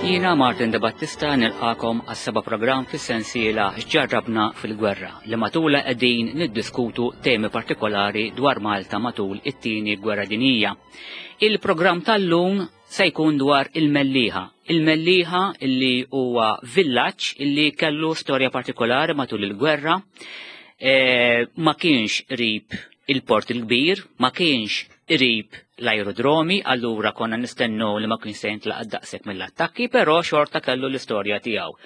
Jiena Martin De Battista nilqakom għas-seba' programm fis-sensiela X'ġarrabna fil-Gwerra li matula qegħdin niddiskutu temi partikolari dwar Malta matul it-tieni gwerra dinjija. Il-programm tal-lum se jkun dwar il-Mellieħa. Il-Mellieħa illi huwa villaġġ illi kellu storja partikolari matul il-gwerra, e, ma kienx qrib il-Port il-Kbir, ma kienx qrib l-aerodromi, allura konna nistennu li ma kienx se jintlaqat daqshekk mill-attakki, però xorta kellu l-istorja tiegħu.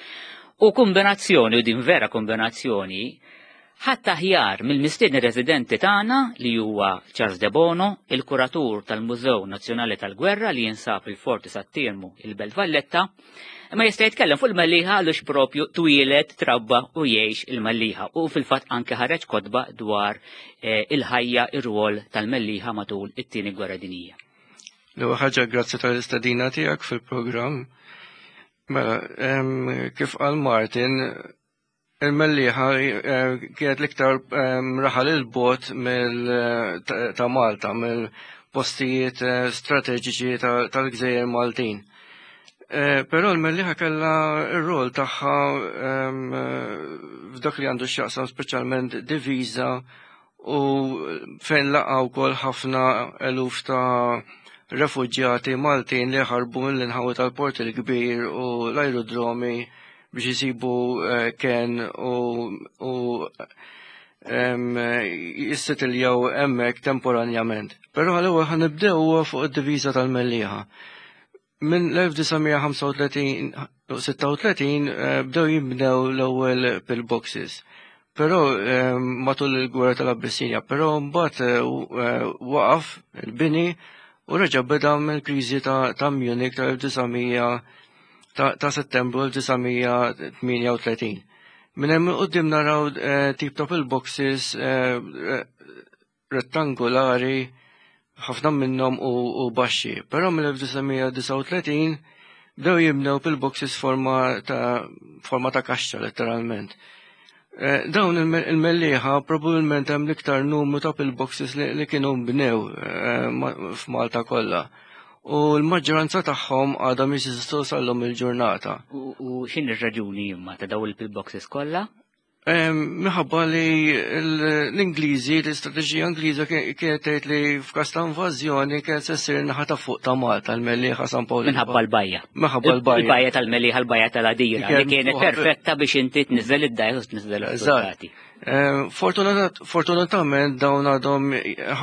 U kombinazzjoni, u din vera kombinazzjoni, Ħadd aħjar mill-mistieden residenti tagħna li huwa Charles Debono, il-kuratur tal-Mużew Nazzjonali tal-Gwerra li jinsab il-Forti Sat-Tirmu, il-Belt Valletta, imma jista' jitkellem fuq il-Mellieħa għaliex propju twieled, trabba u jgħix il-Mellieħa u fil-fatt anke ħareġ kotba dwar eh, il-ħajja ir-rwol tal-Mellieħa matul it-Tieni Gwerra Dinjija. L-ewwel ħaġa grazzi tal-istedina tiegħek fil-programm. Mela, kif qal Martin, Il-Mellieħa eh, kienet l-iktar ehm, raħal il-bot eh, ta' Malta, mill-postijiet eh, strateġiċi tal-gżejjer Maltin. Però l-Mellieħa kellha r-rol tagħha ehm, f'dak li għandu x'jaqsam speċjalment diviża u fejn laqa' wkoll ħafna eluf ta' refuġjati Maltin li ħarbu mill-inħawi tal-Port il-Kbir u l-aerodromi biex jisibu eh, ken u jissitiljaw hemmhekk temporanjament. Però għal-ewwel ħanibdew fuq id-diviża tal-Mellieħa. Minn l-1935 eh, bdew jibnew l-ewwel pillboxes. Però eh, matul il-gwerra tal-Abbissinja, però mbagħad eh, waqaf il-bini u reġa' beda mill-kriżi ta' Munich tal-1900 ta' Settembru 1938. Minn hemm quddiem naraw tip ta' pillboxes rettangolari ħafna minnhom u, u baxxi. Però mill-1939 bdew jibnew pillboxes forma ta' forma ta' kaxxa letteralment. Eh, dawn il-mellieħa probabbilment hemm l-iktar numru ta' pillboxes li, li kienu bnew eh, f'Malta kollha. U l-maġġoranza tagħhom għadhom jeżistu sal-lum il-ġurnata. U, u x'in ir-raġuni imma ta' dawn il-pillboxes kollha? Minħabba li l-Ingliżi, l-istrateġija Ingliża kienet tgħid li f'każ ta' invażjoni kienet se ssir naħa ta' fuq ta' Malta, l-Mellieħa San Pawl. Minħabba l-bajja. Minħabba l-bajja. Il-bajja tal-Mellieħa, l-bajja tal-Għadira, li kienet perfetta biex inti tniżel id-dajja u tniżel is-soldati. Fortunatament dawn għadhom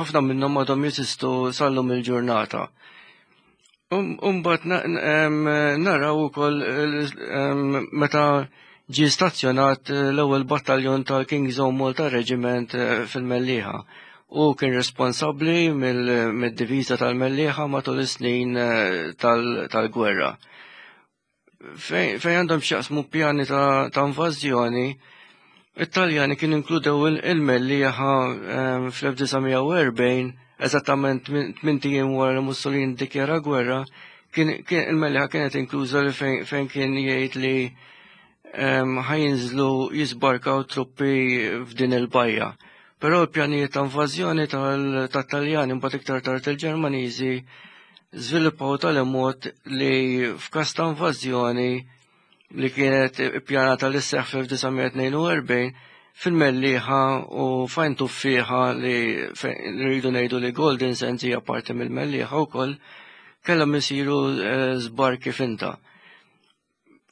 ħafna minnhom għadhom jeżistu sal-lum il-ġurnata. Umbat naraw ukoll meta ġie stazzjonat eh, l-ewwel battaljon tal-King's Own Malta Regiment eh, fil-Mellieħa u kien responsabbli mid-diviża tal-Mellieħa matul is-snin eh, tal-gwerra. Fejn għandhom x'jaqsmu pjani ta' invażjoni, it-Taljani kienu inkludew il-Mellieħa fl-1940, eżattament tmint ijiem wara li Mussolini ddikjara gwerra, il-Mellieħa kienet inkluża li fejn kien jgħid li ħajinżlu jisbarkaw truppi f'din il-bajja. Però l-pjanijiet ta' invażjoni tat-Taljani mbagħad iktar tard il-Ġermaniżi żviluppaw tali mod li f'każ ta' invażjoni li kienet ippjanata li sseħħ fl-1942 fil-Mellieħa u fajn tuffieħa li rridu ngħidu li Golden Sands hija parti mill-Mellieħa wkoll kellhom isiru eh, żbarki finta.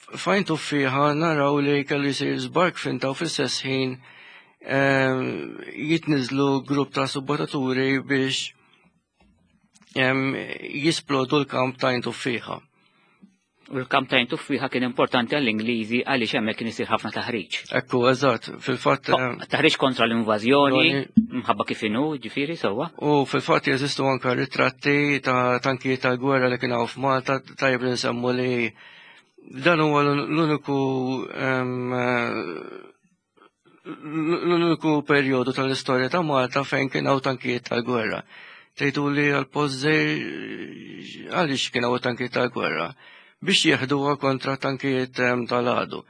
Fajn tuffieħa naraw li kellu jsir żbark finta u fl-istess ħin ehm, jitniżlu grupp ta' subbataturi biex ehm, jisplodu l-kamp ta' tuffieħa. U l-kamp ta' tuffiħa kien importanti għall-Ingliżi għaliex hemmhekk kien isir ħafna taħriġ. Ekku, eżatt, fil-fatt. Eh, taħriġ kontra l-invażjoni, mħabba kif inhu, ġifieri sewwa. U fil-fatt jeżistu anke ritratti ta' tankijiet tal-gwerra li kien hawn f'Malta, tajjeb li nsemmu li dan huwa l-uniku l-uniku perjodu tal-istorja ta' Malta fejn kien hawn tankijiet tal-gwerra. Tgħidu li għal-post għaliex kien hawn tankijiet tal-gwerra biex jieħduha kontra tankijiet tal-għadu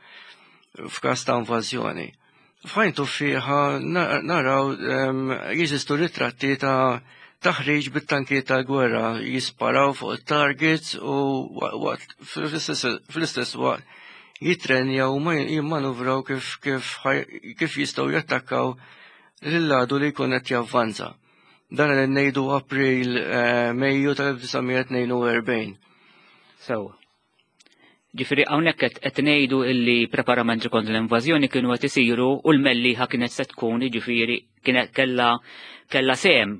f'każ ta' invażjoni. F'ħajn tuffieħa naraw jeżistu ritratti ta' taħriġ bit-tankijiet tal-gwerra, jisparaw fuq it-targets u fl-istess waqt jitrenjaw u jimmanuvraw kif jistgħu jattakkaw lill-għadu li jkun qed javvanza. Dan qed ngħidu April, Mejju tal-1942. Sewa. Ġifieri hawnhekk qed ngħidu illi preparamenti kontra l-invażjoni kienu qed isiru u l-Mellieħa kienet se tkun, jiġifieri kienet kellha sehem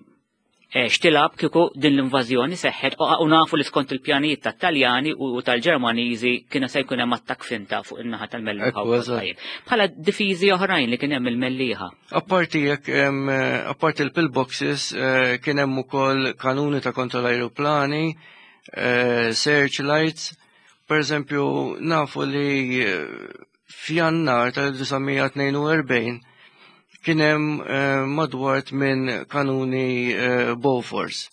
xtilab kieku din l-invażjoni seħħet, u nafu li skont il-pjanijiet tat-Taljani u tal-Ġermaniżi kienu se jkun hemm attakk finta fuq in-naħa tal-Mellieħa. Ekku, eżatt. Bħala difiżi oħrajn li kien hemm il-Mellieħa. Apparti jekk, apparti il-pillboxes, kien hemm ukoll kanuni ta' kontra l-ajruplani, searchlights. Per eżempju, nafu li f'Jannar tal-1942 kien hemm madwar minn kanuni Bofors.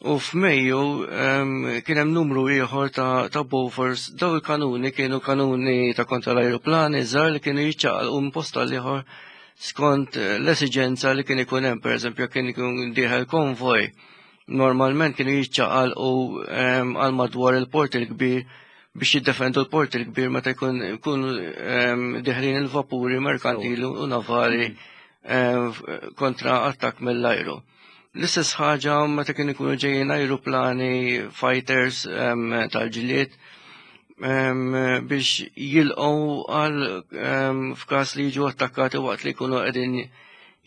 U f'Mejju kien hemm numru ieħor ta' Bofors. Daw il-kanuni kienu kanuni ta' kontra l-ajruplani żgħar li kienu jiċċaqalqu minn post għal ieħor skont l-esiġenza li kien ikun hemm. Per eżempju, kien ikun dieħel konvoj, normalment kienu jiċċaqalqu għal madwar il-port il-kbir biex jiddefendu l-port il-kbir meta jkunu deħlin il-vapuri merkantili u navali kontra attakk mill-ajru. L-istess ħaġa meta kienu jkunu ġejjin ajruplani fighters tal-ġlied biex jilqgħu għal f'każ li jiġu attakkati waqt li jkunu qegħdin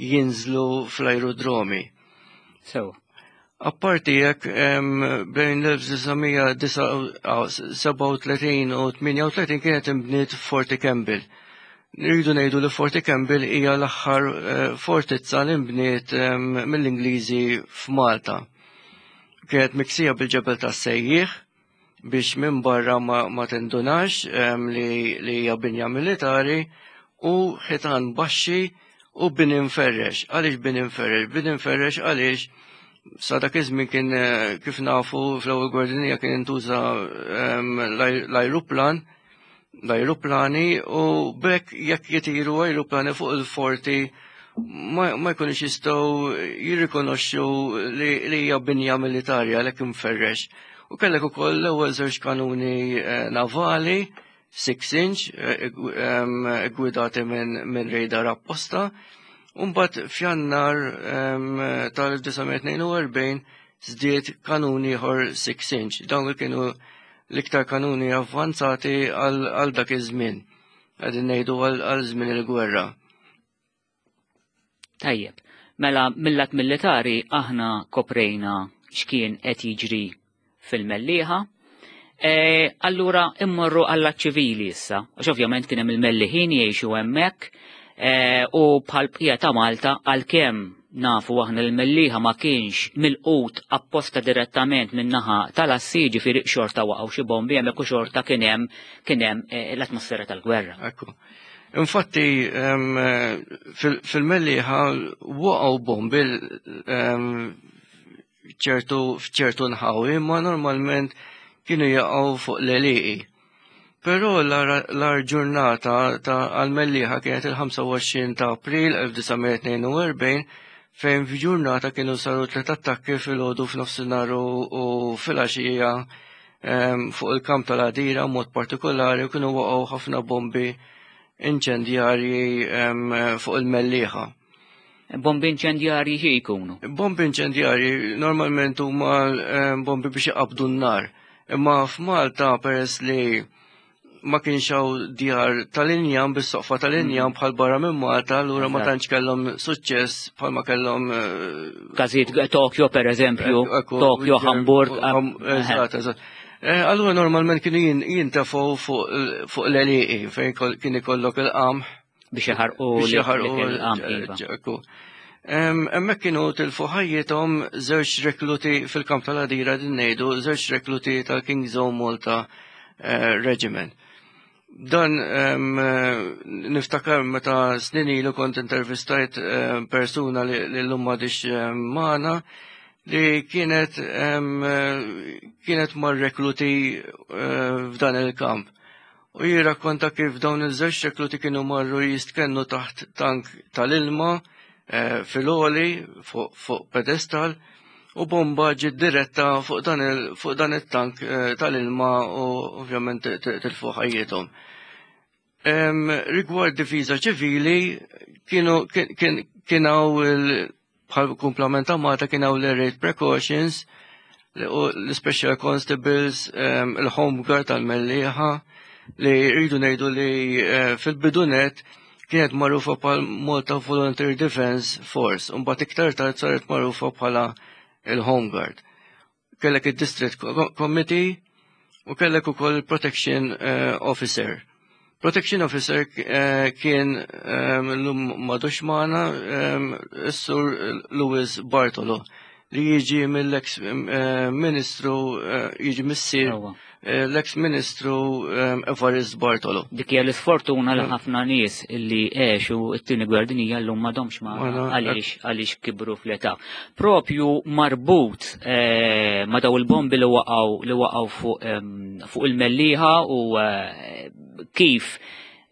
jinżlu fl-aerodromi. Apparti jekk, bejn l-1937 u 38 kienet imbniet Forti Campbell. Nridu ngħidu li Forti Campbell hija l-aħħar fortizza li nbniet mill-Ingliżi f'Malta. Kienet miksija bil-ġebel tas-sejjieħ biex minn barra ma tindunax li hija binja militari, u ħitan baxxi u bini mferrex. Għaliex bini mferrex? Bini mferrex għaliex sa dak iż-żmien kien, kif nafu, fl-ewwel gwerra dinjija kien intuża l-ajruplani, u bekk jekk jitiru ajruplani fuq il-forti ma jkunux jistgħu jirrikonoxxu li hija binja militari, għalhekk imferrex. U kellek ukoll l-ewwel żewġ kanuni navali 6 inch, gwidati minn radar apposta. Umbat f'Jannar tal-1942 żdied kanuni ieħor 6 inch. Dawn kienu l-iktar kanuni avvanzati għal dak iż-żmien. Qegħdin ngħidu għal żmien il-gwerra. Tajjeb, mela mill-lat militari aħna koprejna x'kien qed jiġri fil-Mellieħa. Allura immorru għall ċivili issa, għax ovvjament kien hemm il-Melliħin jgħixu hemmhekk, u bħal bqija ta' Malta, għalkemm nafu aħna l-Mellieħa ma kienx milqut apposta direttament min-naħa tal-assi, ġifieri xorta waqgħu xi bombi hemmhekk u xorta kien hemm l-atmosfera tal-gwerra. Ekku. Infatti, fil-Mellieħa waqgħu bombi f'ċertu nħawi, ma normalment kienu jaqgħu fuq l-għelieqi. Però l-agħar ġurnata ta' għal-Mellieħa kienet il-25 ta' April 1942, fejn f'ġurnata kienu saru tliet attakki fil-għodu, f'nofsinhar u fil-għaxija, fuq il-kamp tal-Għadira mod partikolari, u kienu waqgħu ħafna bombi inċendjarji fuq il-Mellieħa. Bombi inċendjarji xi jkunu? Bombi inċendjarji normalment huma bombi biex iqabdu n-nar. Imma f'Malta, peress li ma kienx hawn djar tal-injam bis-soqfa tal-injam bħal barra minn Malta, allura ma tantx kellhom suċċess bħalma kellhom Każijiet Tokyo, per eżempju, Tokyo, Hamburg. Eżatt. Allura normalment kienu jintefgħu fuq l-għelieqi fejn kien ikollok il-qamħ. Biex jaħarqu. Biex jaħarqu. Il-qamħ, iva. Ekku. Hemmhekk kienu tilfu ħajjithom żewġ rekluti fil-kamp tal-Għadira din ngħidu, żewġ rekluti tal-King's Own Malta Regiment. Dan niftakar meta snin ilu kont intervistajt persuna li llum m'għadhiex magħna, li kienet mar-rekluti f'dan il-kamp. U jirrakkonta kif dawn iż-żewġ rekluti kienu marru jistkennu taħt tank tal-ilma fil-għoli fuq pedestal. u bomba ġiet diretta fuq dan il, fuq dan it-tank eh, tal-ilma u ovvjament tilfu ħajjithom. Rigward difiża ċivili kienu kien hawn bħal kumplament ta' Malta kien hawn l-air precautions l-special constables, il-home guard tal-Mellieħa li rridu ngħidu li eh, fil-bidunet kienet magħrufa bħal Malta Volunteer Defence Force, u mbagħad iktar tard saret magħrufa bħala il-Home Guard. Kellek id-District Committee u kellek ukoll il-Protection eh, Officer. Protection Officer eh, kien eh, l-lum madux magħna is-Sur Louis Bartolo li jiġi mill-ex ministru jiġi missier l-ex ministru Evarist Bartolo. Dik hija l-isfortuna li ħafna nies li għexu t-tieni gwerra dinjija llum m'għadhomx ma għaliex għaliex kibru fl-età. Propju marbut eh, ma daw il-bombi li waqgħu li waqgħu fuq fuq il-Mellieħa u eh, kif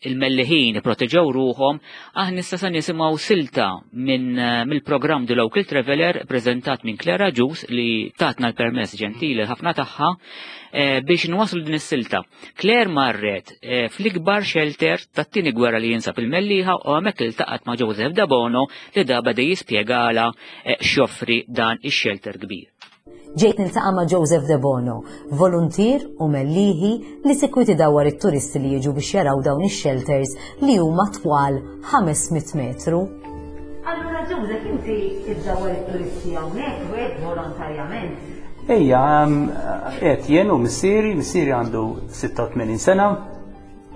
il-Melliħin proteġew ruħhom, aħna issa se nisimgħu silta minn eh, mill-programm The Local Traveler preżentat minn Clara Ġus li tatna l-permess ġentili ħafna tagħha eh, biex nwaslu din is-silta. Claire marret eh, fl-ikbar shelter tat-tieni gwerra li jinsab il-Mellieħa u hemmhekk iltaqgħet ma' Joseph Dabono li da beda jispjegala x'joffri dan ix-shelter kbir. Ġejt niltaqa' ma' Joseph Debono, voluntier u Mellieħi li sikwit idawwar it-turisti li jiġu biex jaraw dawn ix-shelters li huma twal 500 metru. Allura Joseph inti iddawwar it-turisti hawnhekk u hekk volontarjament? Ejja, qed jien u missieri, missieri għandu 86 sena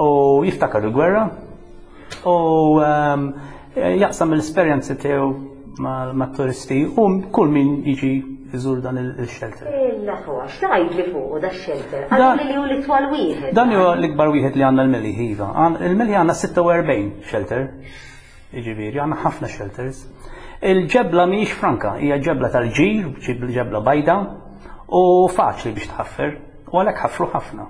u jiftakar il-gwerra u jaqsam l-esperjenzi tiegħu mat-turisti u kull min jiġi jżur dan il-shelter. Il-aħwa, x'tgħid li fuq da shelter? Għalli li hu l-itwal wieħed. Dan huwa l-ikbar wieħed li għandna l-Mellieħ iva. Il-Mellieħ għandna 46 shelter. Jiġifieri għandna ħafna shelters. Il-ġebla mhijiex franka, hija ġebla tal-ġir, ġebla bajda u faċli biex tħaffer, u għalhekk ħafru ħafna.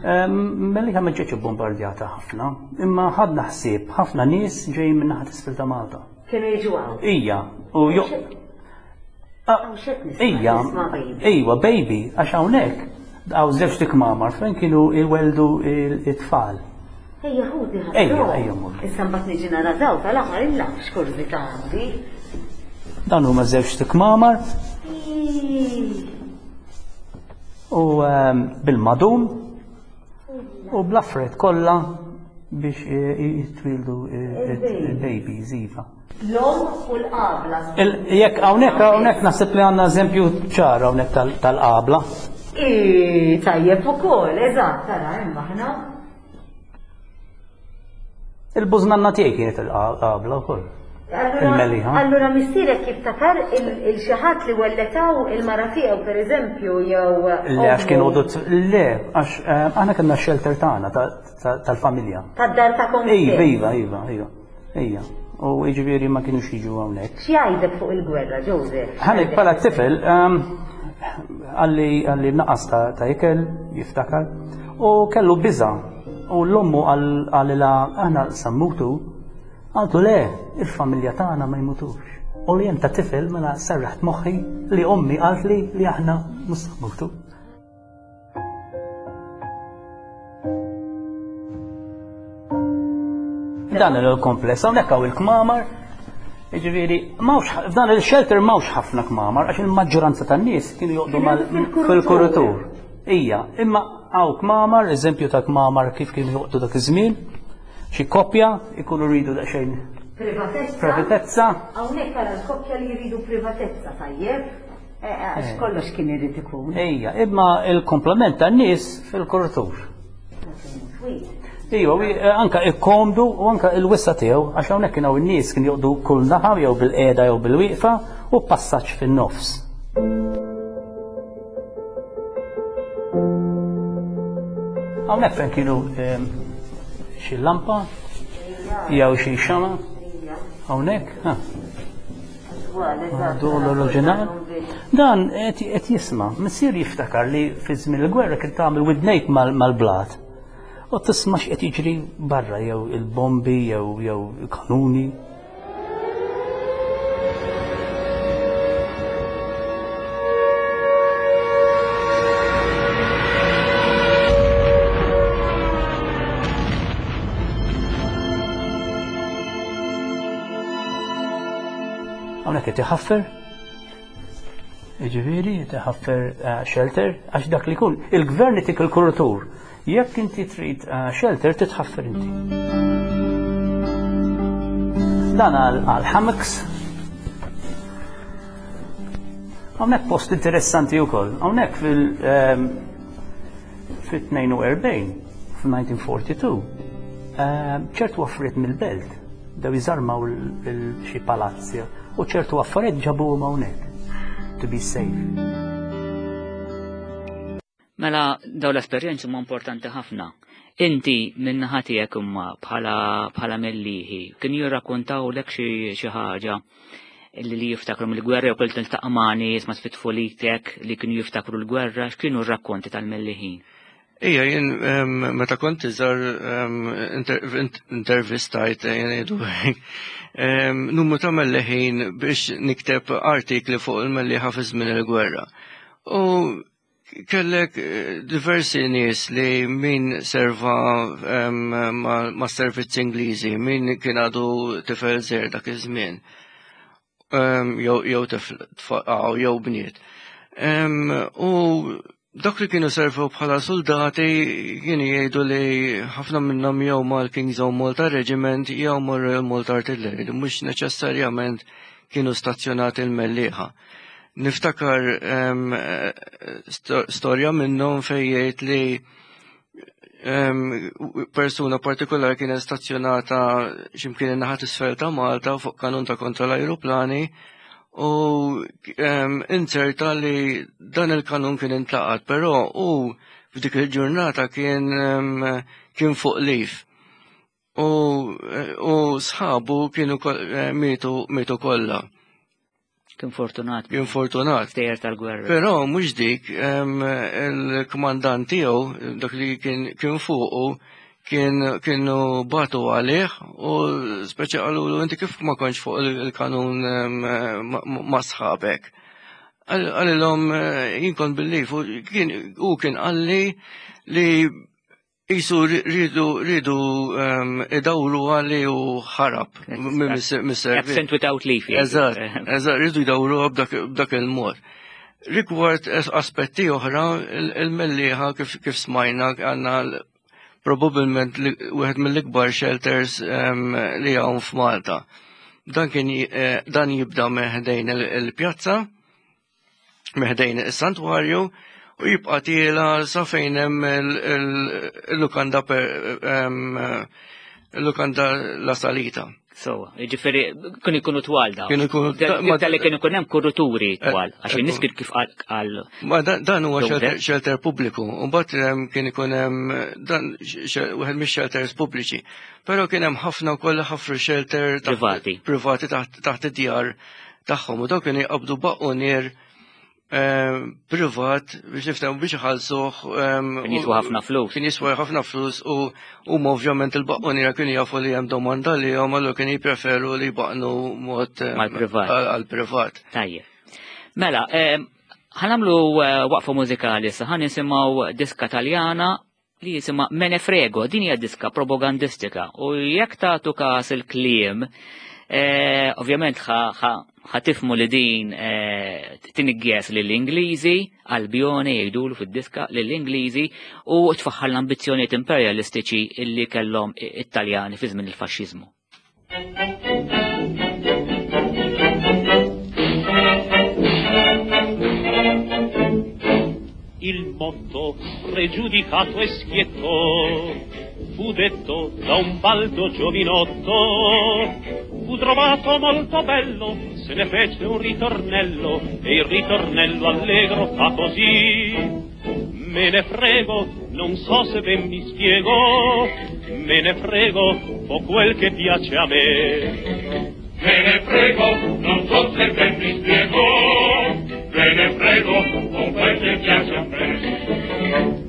Mellieħa ma ġietx bombardjata ħafna, imma ħadna ħsieb ħafna nies ġejjin minn naħa t'isfel ta' Malta. Kienu jiġu hawn. Ija, u jo. Ija, ejwa, baby, għax hawnhekk hawn żewġ tikmamar fejn kienu jweldu it-tfal. Ejja ħudi ħafna. Ejja, ejja mur. Issa mbagħad niġi nara daw tal-aħħar illa x'kurżità għandi. Dan huma żewġ tikmamar. U ehm, bil-madum u bl-affarijiet kollha biex eh, jitwildu eh, il-babies iva. L-om u l-qabla. Jekk hawnhekk hawnhekk naħseb li għandna eżempju ċar hawnhekk tal-qabla. Tajjeb ukoll, eżatt, tara hemm aħna. Il-bużnanna tiegħi kienet il-qabla wkoll. Il-Mellieħa. Allura missierek jiftakar il xi ħadd li welletaw il-mara tiegħu pereżempju jew. Le għax kienu le għax eh, aħna kellna x-shelter tagħna tal-familja. Tad-dar ta' Iva, iva, iva, iva. Ija. U jiġifieri ma kienux jiġu hawnhekk. X'jgħidlek fuq il-gwerra, Joseph? Ħanek bħala tifel ehm, għalli għalli naqas ta' ikel, jiftakar, u kellu biża. U l-ommu għalila aħna sammutu, għaltu le, il-familja tagħna ma jmutux. U li ta' tifel mela serraħt moħħi li ommi qaltli li aħna mhux sammutu. Dan il-kompless, hawnhekk hawn il-kmamar, Ġifieri, f'dan il-shelter m'hawnx ħafna kmamar għax il-maġġoranza tan-nies kienu joqdu fil-kuritur. Ija, imma hawn kmamar, eżempju ta' kmamar kif kienu joqdu dak iż-żmien, xi koppja ikunu rridu daqsxejn privatezza. Privatezza. Hawnhekk ara l-koppja li jridu privatezza tajjeb. Eh, eh, għax eh. kollox kien irid ikun. Ejja, imma il-komplement tan-nies fil-kuritur. Iva, anka ikkomdu u anka il-wissa tiegħu għax hawnhekk kien hawn in-nies kien joqdu kull naħa jew bil-qiegħda jew bil-wieqfa u passaġġ fin-nofs. Hawnhekk fejn kienu ehm, xi lampa jew xi xama hawnhekk, ha. L-oriġinal. Dan qed jisma', missier jiftakar li fi żmien il-gwerra kien tagħmel widnejk mal-blat. U tisma' x'qed jiġri barra jew il-bombi jew jew kanuni. Dak qed iħaffer. Jiġifieri qed iħaffer eh, shelter għax dak li jkun il-gvern itik il-kurutur. Jekk inti trid eh, shelter titħaffer inti. Dan għal hammocks. Hawnhekk post interessanti wkoll. Hawnhekk fil ehm, fit-42 f'1942 ehm, ċertu affarijiet mill-belt Bdew jżarmaw xi palazzi u ċertu affarijiet ġabuhom hawnhekk to be safe. Mela daw l-esperjenzi huma importanti ħafna. Inti minn naħa tiegħek imma bħala bħala mellieħi kienu jirrakkontawlek xi ħaġa li li jiftakru mill-gwerra jew kelli tiltaqa' ma' nies ma' tfitfulitek li kienu jiftakru l-gwerra, x'kienu r-rakkonti tal-Melliħin? Ija, jien meta kont iżgħar intervistajt jgħidu numru ta' melleħin biex nikteb artikli fuq il-melliħa fi żmien il-gwerra. U kellek eh, diversi nies li min serva ma' servizzi Ingliżi, min kien għadu tifel żgħir dak iż-żmien. Jew tifel jew bniet. U Dak li kienu servew bħala soldati kienu jgħidu li ħafna minnhom jew mal-King's Own Malta Regiment jew mar-Royal Malta Artillery li mhux neċessarjament kienu stazzjonati l-Mellieħa. Niftakar storja minnhom fejn jgħid li persuna partikolari kienet stazzjonata x'imkien in-naħa t'isfel ta' Malta fuq kanun ta' kontra l-ajruplani u inzerta li dan il-kanun kien intlaqat, però u f'dik il-ġurnata kien kien fuq lif. U, u sħabu kienu eh, mietu mietu kollha. Kien fortunat. Kien fortunat. Stejjer tal-gwerra. Però mhux dik il-kmandant tiegħu dak li kien kien fuqu kien kienu batu għalih u speċi qalulu inti kif ma kontx fuq il-kanun ma' sħabek. Qalilhom eh, jien kont bil-lif u kien u kien qalli li Isu rridu rridu ehm, idawru għalli u ħarab mis-servizz. Absent without leave. Eżatt, eżatt, rridu jdawru b'dak il-mod. Rigward aspetti oħra, il-mellieħa kif smajna għandna probabbilment wieħed mill-ikbar shelters ehm, li hawn f'Malta. Dan kien eh, dan jibda meħdejn il-pjazza, meħdejn is-santwarju u jibqa' tiela sa fejn hemm il-lukanda il-lukanda La Salita. So, ġifiri, kun ikunu twal da. Kien ikunu twal. Kien ikun hemm kuruturi eh, twal, għax in-nies kien kif qal. Ma dan huwa shelter pubbliku, u mbagħad kien ikun hemm dan wieħed mix-shelters pubbliċi. Però kien hemm ħafna wkoll ħafru shelter privati. Privati taħt id-djar tagħhom u dawk kienu jqabdu baqqunier eh, privat biex niftehmu biex iħallsuh. Ehm, kien jiswa ħafna flus. Kien jiswa ħafna flus u huma ovvjament il-baqquniera kienu jafu li hemm domanda li hom allura kienu jippreferu li jbaqnu mod eh, għal-privat. Tajjeb. Mela, ehm, ħanamlu eh, waqfa mużikali sa ħan nisimgħu diska Taljana li jisimha Me ne frego, din hija diska propagandistika u jekk tagħtu każ il-kliem, eh, ovvjament ħatifmu li din eh, tinigges lill-Ingliżi, Albione jgħidulu fid-diska lill-Ingliżi u tfaħħar l-ambizzjonijiet imperjalistiċi illi kellhom it-Taljani fi żmien il-faxxiżmu. Il motto pregiudicato e schietto fu detto da un baldo giovinotto fu trovato molto bello se ne fece un ritornello e il ritornello allegro fa così Me ne frego, non so se ben mi spiego, me ne frego, fo quel che piace a me. Me ne frego, non so se ben mi spiego, me ne frego, fo quel che piace a me.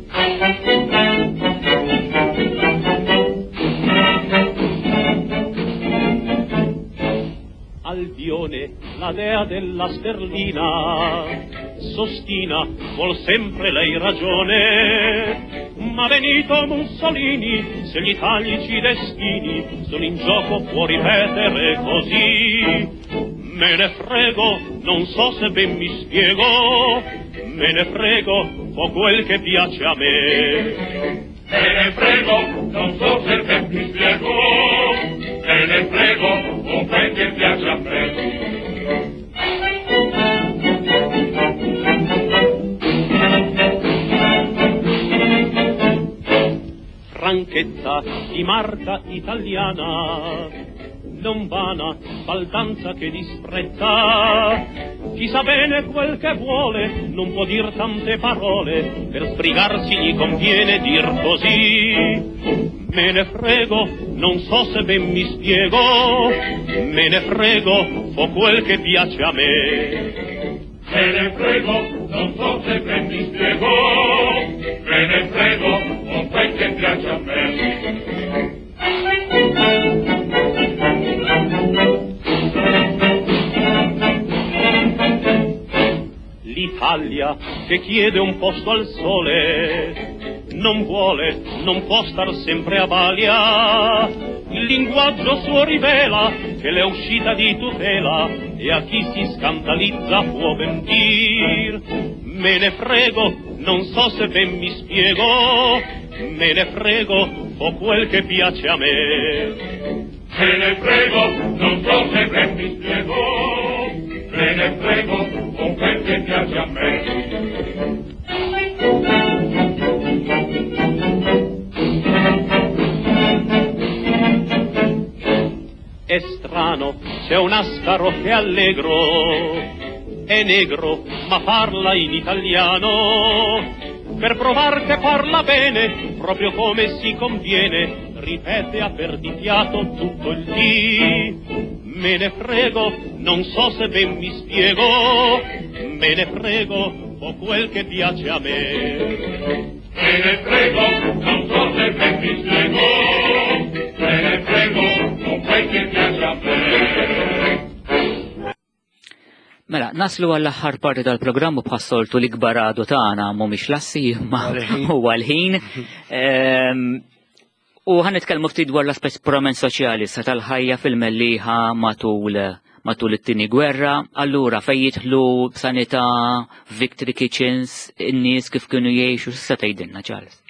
Albione, la dea della sterlina, sostina, vuol sempre lei ragione. Ma Benito Mussolini, se gli italici destini sono in gioco, può ripetere così. Me ne frego, non so se ben mi spiego, me ne frego, fo quel che piace a me. Me ne frego, non so se ben mi spiego, me ne frego, fo quel che piace a me. Franchezza di marca italiana, non vana baldanza che disprezza. Chi sa bene quel che vuole non può dir tante parole, per sbrigarsi gli conviene dir così. Me ne frego, non so se ben mi spiego, me ne frego, fo quel che piace a me. Me ne frego, non so se ben mi spiego, me ne frego, fo quel che piace a me. L'Italia che chiede un posto al sole non vuole, non può star sempre a balia. Il linguaggio suo rivela che l'è uscita di tutela e a chi si scandalizza può ben dir: me ne frego, non so se ben mi spiego, me ne frego, fo quel che piace a me. Me ne frego, non so se ben mi spiego, me ne frego, fo quel che piace a me. È strano, c'è un ascaro che è allegro, è negro, ma parla in italiano. Per provar che parla bene, proprio come si conviene, ripete a perdifiato tutto il dì. Me ne frego, non so se ben mi spiego, me ne frego, fo quel che piace a me. Me ne frego, non so se ben mi spiego, me ne frego, fo quel che piace a me. Mela, naslu għall-aħħar parti tal-programm u bħas-soltu l-ikbar għadu tagħna mhumiex lassi imma huwa l-ħin. U ħan nitkellmu ftit dwar l-aspett purament soċjali sa tal-ħajja fil-Mellieħa matul matul it-tieni gwerra. Allura fejn jidħlu sanità, Victory Kitchens, in-nies kif kienu jgħixu, s'issa tgħidilna Charles.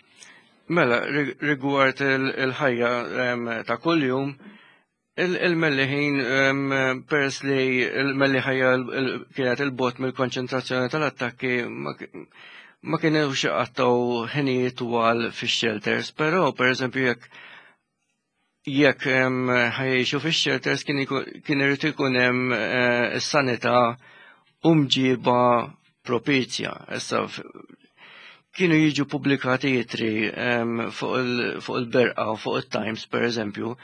Mela, rigward il-ħajja ta' kuljum, Il-Melliħin, peress li l-Melliħajja kienet il-bot mill-konċentrazzjoni tal-attakki, ma kienux iqattgħu ħinijiet twal fix-shelters, però pereżempju jekk jekk ħajjixu fix-shelters kien irid ikun hemm eh, is-sanità u mġiba propizja. Issa kienu jiġu pubblikati itri fuq il-Berqa u fuq it-Times pereżempju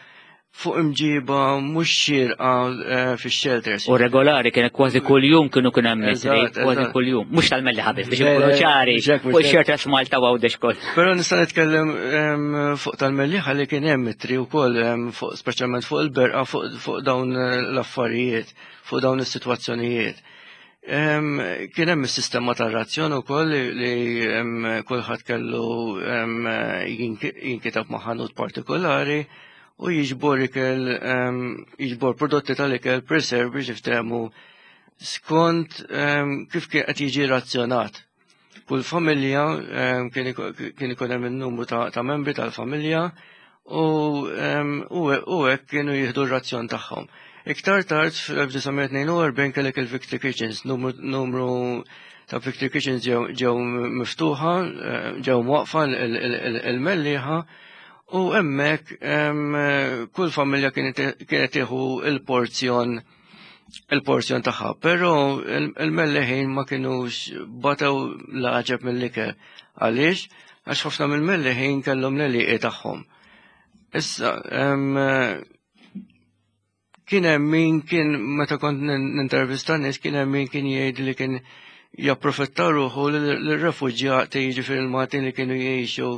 fuq imġiba mhux xierqa eh, fix-shelters. U regolari kien kważi kuljum kienu kien hemm itri, kważi kuljum. Mhux tal-melli ħabib biex ikunu ċari, fuq shelters Malta u Għawdex koll. Però nista' nitkellem fuq tal-melli ħalli kien hemm itri wkoll fuq speċjalment fuq il-Berqa fuq dawn l-affarijiet, fuq dawn is-sitwazzjonijiet. Kien hemm is-sistema tar-razzjon ukoll li kulħadd kellu jinkitab ma' ħanut partikolari u jiġbor ikel jiġbor prodotti tal-ikel preserve biex jiftehmu skont kif kien qed jiġi razzjonat. Kull familja kien ikun hemm in-numru ta' membri tal-familja u hekk kienu jieħdu r-razzjon tagħhom. Iktar tard fl-1942 kellek il-Victory Kitchens, numru ta' Victory Kitchens ġew miftuħa, ġew mwaqfa il-Mellieħa u hemmhekk kull familja kienet tieħu il-porzjon il-porzjon tagħha, però il-Melleħin ma kinux batew l-għaġeb mill-ikel. Għaliex? Għax ħafna mill-Melleħin kellhom l-għelieqi tagħhom. Issa, kien hemm min kien meta kont nintervista nies kien hemm min kien jgħid li kien japprofitta ruħu l-refuġjati jiġifieri l-Maltin li kienu jgħixu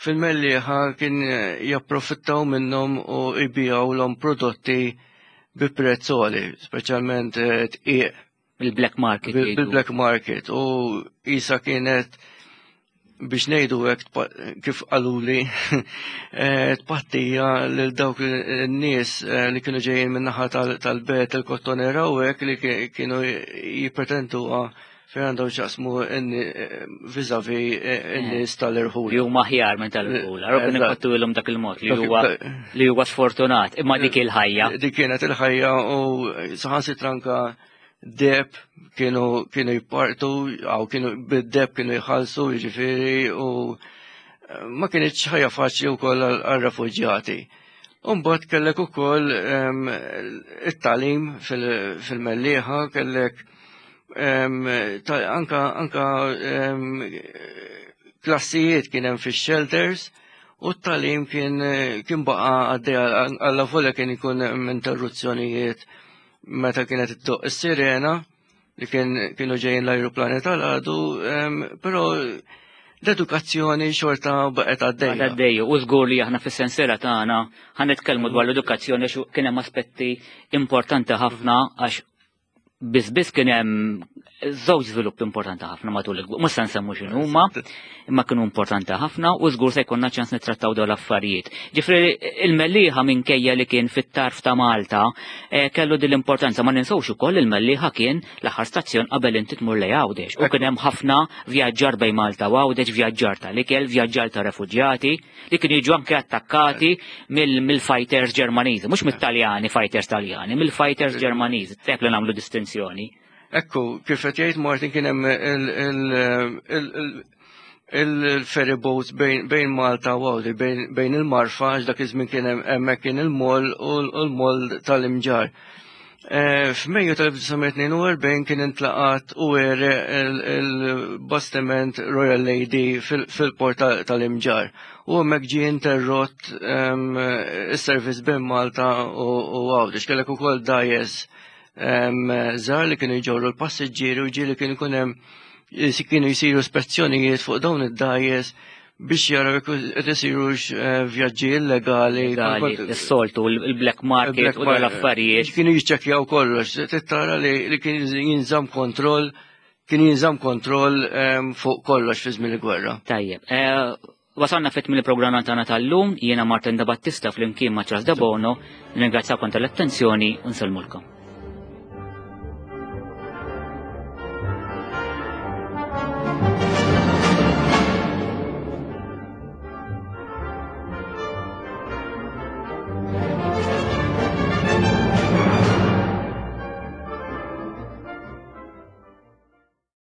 fil-Mellieħa kien japprofittaw minnhom u jbigħulhom prodotti bi prezz għoli, speċjalment eh, tqiq. Bil-black market. Bil-black market u isa kienet biex ngħidu hekk kif qaluli eh, tpattija lil dawk in-nies eh, li kienu ġejjin min-naħa tal-bet il-kottonera u hekk li kienu jippretenduha fejn għandhom xaqsmu eh, vizavi n-nies tal-irħul. Li huma aħjar minn tal-irħul. Għarru kien ipattu ilhom dak il-mod li huwa li huwa sfortunat, imma dik il-ħajja. Dik kienet il-ħajja u saħansitra anka deb kienu kienu jpartu, għaw kienu bid-deb kienu jħallsu, jiġifieri u eh, ma kienx ħajja faċli wkoll għal-refuġjati. Umbagħad kellek ukoll ehm, it-talim fil-Mellieħa, kellek ehm, anka anka ehm, klassijiet kien hemm fix-shelters u t-talim kien kien baqa' għaddej għalla volja kien ikun interruzzjonijiet meta kienet iddoqq is-sirena li kien kienu ġejjin l-ajruplani tal-għadu, però l-edukazzjoni xorta baqgħet għaddejja. Għaddejja, u żgur li aħna fis-sensiela tagħna ħa nitkellmu dwar l-edukazzjoni għax kien hemm aspetti importanti ħafna għax biss biss kien hemm żewġ żvilupp importanti ħafna matul il mhux se nsemmu x'inhu huma, imma kienu importanti ħafna u żgur se jkollna ċans nittrattaw dawn l-affarijiet. Ġifri il-Mellieħa minkejja li kien fit-tarf ta' Malta eh, kellu din l-importanza ma ninsewx ukoll il-Mellieħa kien l-aħħar stazzjon qabel inti tmur lejn Għawdex u kien hemm ħafna vjaġġar bejn Malta u Għawdex, vjaġġar tal-ikel, vjaġġar ta' refuġjati li kienu jiġu anke attakkati mill-fighters Ġermaniżi, mhux mit-Taljani fighters Taljani, mill-fighters Ġermaniżi, tek li nagħmlu distinzjoni. Ekku, kif qed jgħid Martin kien hemm il-ferry boats bejn Malta u Għawdi, bejn il-Marfa, għax dak iż-żmien kien hemmhekk kien il-moll u l-moll tal-Imġar. Eh, F'Mejju tal-1942 kien intlaqat u għere il-bastiment Royal Lady fil-port tal-Imġar. U hemmhekk ġie interrott ehm, is-servizz bejn Malta u Għawdex. Kellek ukoll dajes żgħar li kienu jġorru l-passiġġieri u ġieli kien ikun hemm kienu jsiru spezzjonijiet fuq dawn id-dajes biex jaraw jekk qed isirux eh, vjaġġi illegali. Is-soltu, il-black market u l-affarijiet. Kienu jiċċekkjaw kollox, tittara li kien jinżamm kontroll kien jinżamm kontroll fuq kollox fi żmien il-gwerra. Tajjeb. Eh, Wasalna fit mill-programm tagħna tal-lum, jiena Martin Da Battista flimkien ma' Charles Debono, nirringrazzjakom tal-attenzjoni u nsellmulkom.